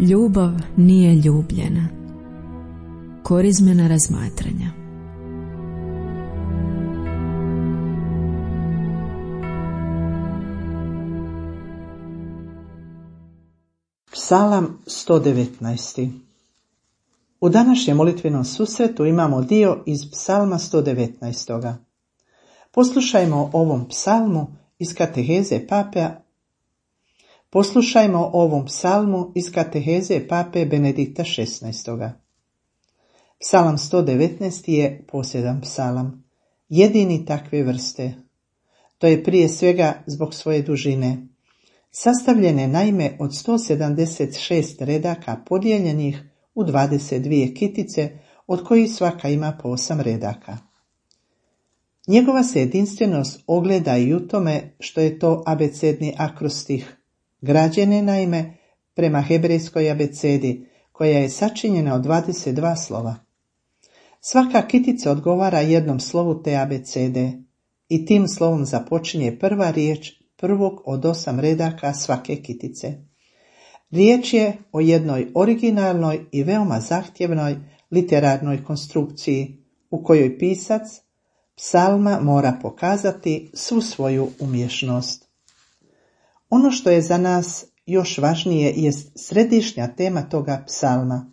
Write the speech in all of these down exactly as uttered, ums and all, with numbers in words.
Ljubav nije ljubljena. Korizmena razmatranja. Psalam sto devetnaest. U današnjem molitvenom susretu imamo dio iz Psalma sto devetnaest. Poslušajmo ovom psalmu iz kateheze pape Poslušajmo ovom psalmu iz kateheze pape Benedikta šesnaestog. Psalam sto devetnaest je posljedan psalam, jedini takve vrste. To je prije svega zbog svoje dužine. Sastavljen je naime od sto sedamdeset šest redaka podijeljenih u dvadeset dvije kitice, od kojih svaka ima po osam redaka. Njegova se jedinstvenost ogleda i u tome što je to abecedni akrostih, građen je naime prema hebrejskoj abecedi, koja je sačinjena od dvadeset dva slova. Svaka kitica odgovara jednom slovu te abecede i tim slovom započinje prva riječ prvog od osam redaka svake kitice. Riječ je o jednoj originalnoj i veoma zahtjevnoj literarnoj konstrukciji u kojoj pisac psalma mora pokazati svu svoju umješnost. Ono što je za nas još važnije jest središnja tema toga psalma.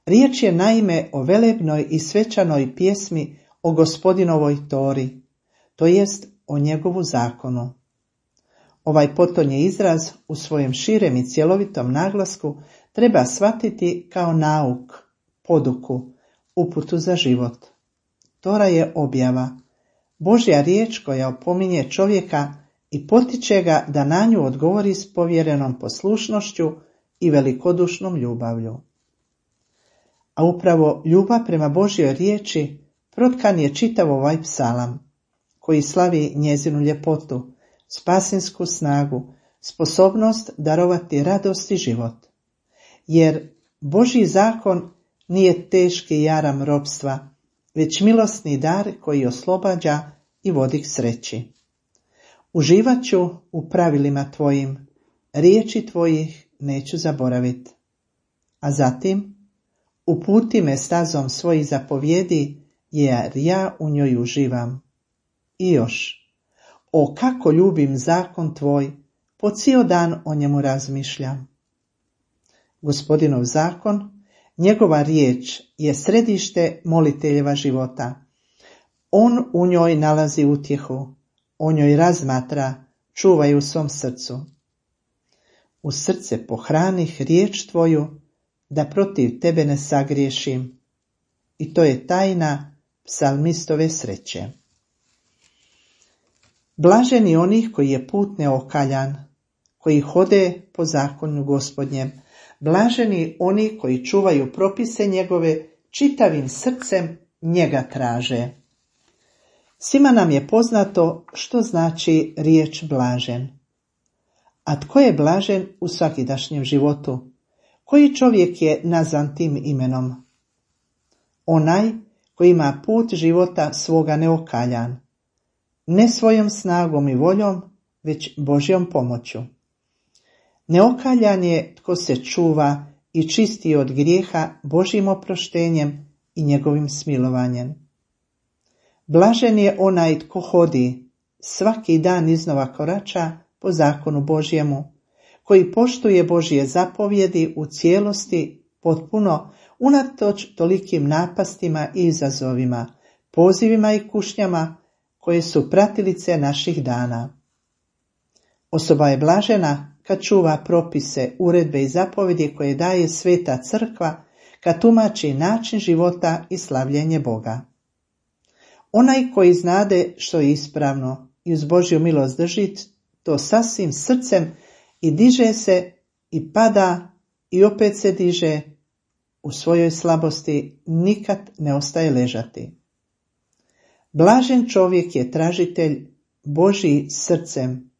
Riječ je naime o velebnoj i svečanoj pjesmi o Gospodinovoj tori, to jest o njegovu zakonu. Ovaj potonji izraz u svojem širem i cjelovitom naglasku treba shvatiti kao nauk, poduku, uputu za život. Tora je objava, Božja riječ koja opominje čovjeka i potiče ga da na nju odgovori s povjerenom poslušnošću i velikodušnom ljubavlju. A upravo ljubav prema Božjoj riječi protkan je čitav ovaj psalam, koji slavi njezinu ljepotu, spasinsku snagu, sposobnost darovati radost i život. Jer Božji zakon nije teški jaram ropstva, već milosni dar koji oslobađa i vodi k sreći. Uživat ću u pravilima tvojim, riječi tvojih neću zaboraviti. A zatim, uputi me stazom svojih zapovjedi, jer ja u njoj uživam. I još, o kako ljubim zakon tvoj, po cijel dan o njemu razmišljam. Gospodinov zakon, njegova riječ je središte moliteljeva života. On u njoj nalazi utjehu, o njoj razmatra, čuva je u svom srcu. U srce pohranih riječ tvoju, da protiv tebe ne sagriješim. I to je tajna psalmistove sreće. Blaženi onih koji je put neokaljan, koji hode po zakonu Gospodnjem, blaženi oni koji čuvaju propise njegove, čitavim srcem njega traže. Svima nam je poznato što znači riječ blažen. A tko je blažen u svakidašnjem životu? Koji čovjek je nazvan tim imenom? Onaj koji ima put života svoga neokaljan, ne svojom snagom i voljom, već Božjom pomoću. Neokaljan je tko se čuva i čisti od grijeha Božjim oproštenjem i njegovim smilovanjem. Blažen je onaj tko hodi, svaki dan iznova korača po zakonu Božjemu, koji poštuje Božje zapovjedi u cijelosti, potpuno, unatoč tolikim napastima i izazovima, pozivima i kušnjama koje su pratilice naših dana. Osoba je blažena kad čuva propise, uredbe i zapovjedi koje daje Sveta Crkva, kad tumači način života i slavljenje Boga. Onaj koji znade što je ispravno i uz Božju milost drži to sasvim srcem i diže se i pada i opet se diže, u svojoj slabosti nikad ne ostaje ležati. Blažen čovjek je tražitelj Božji srcem.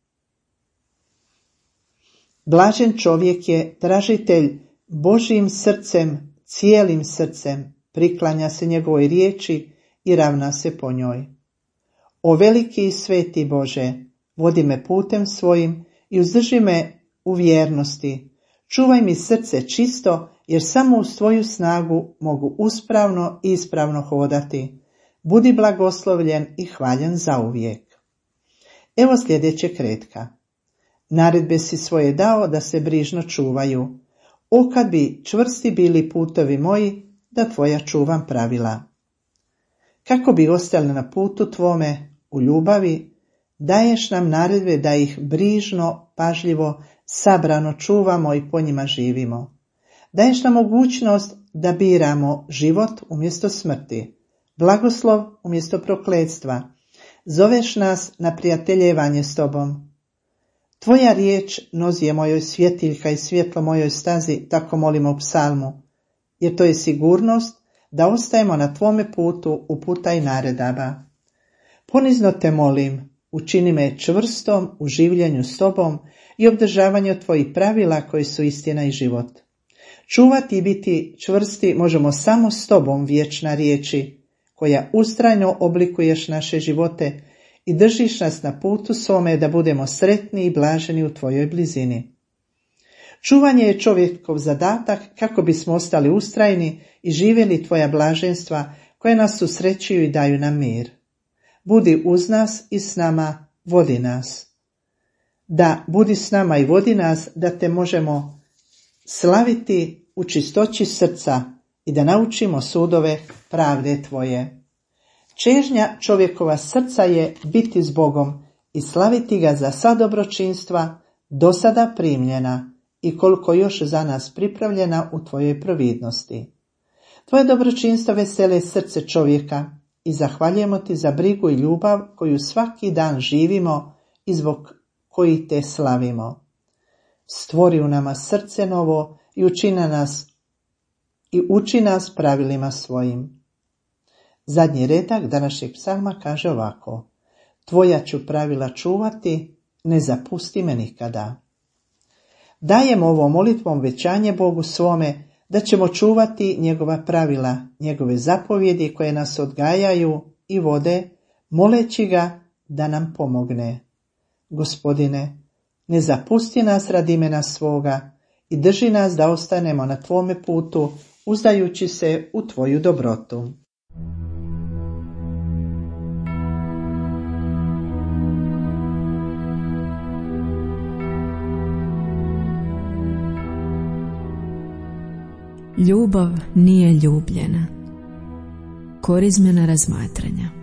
Blažen čovjek je tražitelj Božjim srcem, cijelim srcem, priklanja se njegovoj riječi i ravna se po njoj. O veliki i sveti Bože, vodi me putem svojim i uzdrži me u vjernosti, Čuvaj mi srce čisto, jer samo uz tvoju snagu mogu uspravno i ispravno hodati. Budi blagoslovljen i hvaljen zauvijek. Evo sljedeće kretka. Naredbe si svoje dao da se brižno čuvaju. O kad bi čvrsti bili putovi moji, da tvoja čuvam pravila. Kako bi ostali na putu tvome u ljubavi, daješ nam naredbe da ih brižno, pažljivo, sabrano čuvamo i po njima živimo. Daješ nam mogućnost da biramo život umjesto smrti, blagoslov umjesto prokletstva. Zoveš nas na prijateljevanje s tobom. Tvoja riječ nozi je mojoj svjetiljka i svjetlo mojoj stazi, tako molimo u psalmu, jer to je sigurnost da ostajemo na tvome putu uputa i naredaba. Ponizno te molim, učini me čvrstom u življenju s tobom i obdržavanju tvojih pravila koji su istina i život. Čuvati i biti čvrsti možemo samo s tobom, vječna riječi, koja ustrajno oblikuješ naše živote i držiš nas na putu svome da budemo sretni i blaženi u tvojoj blizini. Čuvanje je čovjekov zadatak kako bismo ostali ustrajni i živjeli tvoja blaženstva koje nas susrećuju i daju nam mir. Budi uz nas i s nama, vodi nas. Da, budi s nama i vodi nas, da te možemo slaviti u čistoći srca i da naučimo sudove pravde tvoje. Čežnja čovjekova srca je biti s Bogom i slaviti ga za sva dobročinstva do sada primljena i koliko još za nas pripravljena u tvojoj providnosti. Tvoje dobročinstva vesele srce čovjeka i zahvaljujemo ti za brigu i ljubav koju svaki dan živimo i zbog koji te slavimo. Stvori u nama srce novo i učini nas i uči nas pravilima svojim. Zadnji redak današnjeg psalma kaže ovako: Tvoja ću pravila čuvati, ne zapusti me nikada. Dajem ovom molitvom većanje Bogu svome da ćemo čuvati njegova pravila, njegove zapovjedi koje nas odgajaju i vode, moleći ga da nam pomogne. Gospodine, ne zapusti nas radi imena svoga i drži nas da ostanemo na tvome putu, uzdajući se u tvoju dobrotu. Ljubav nije ljubljena. Korizmena razmatranja.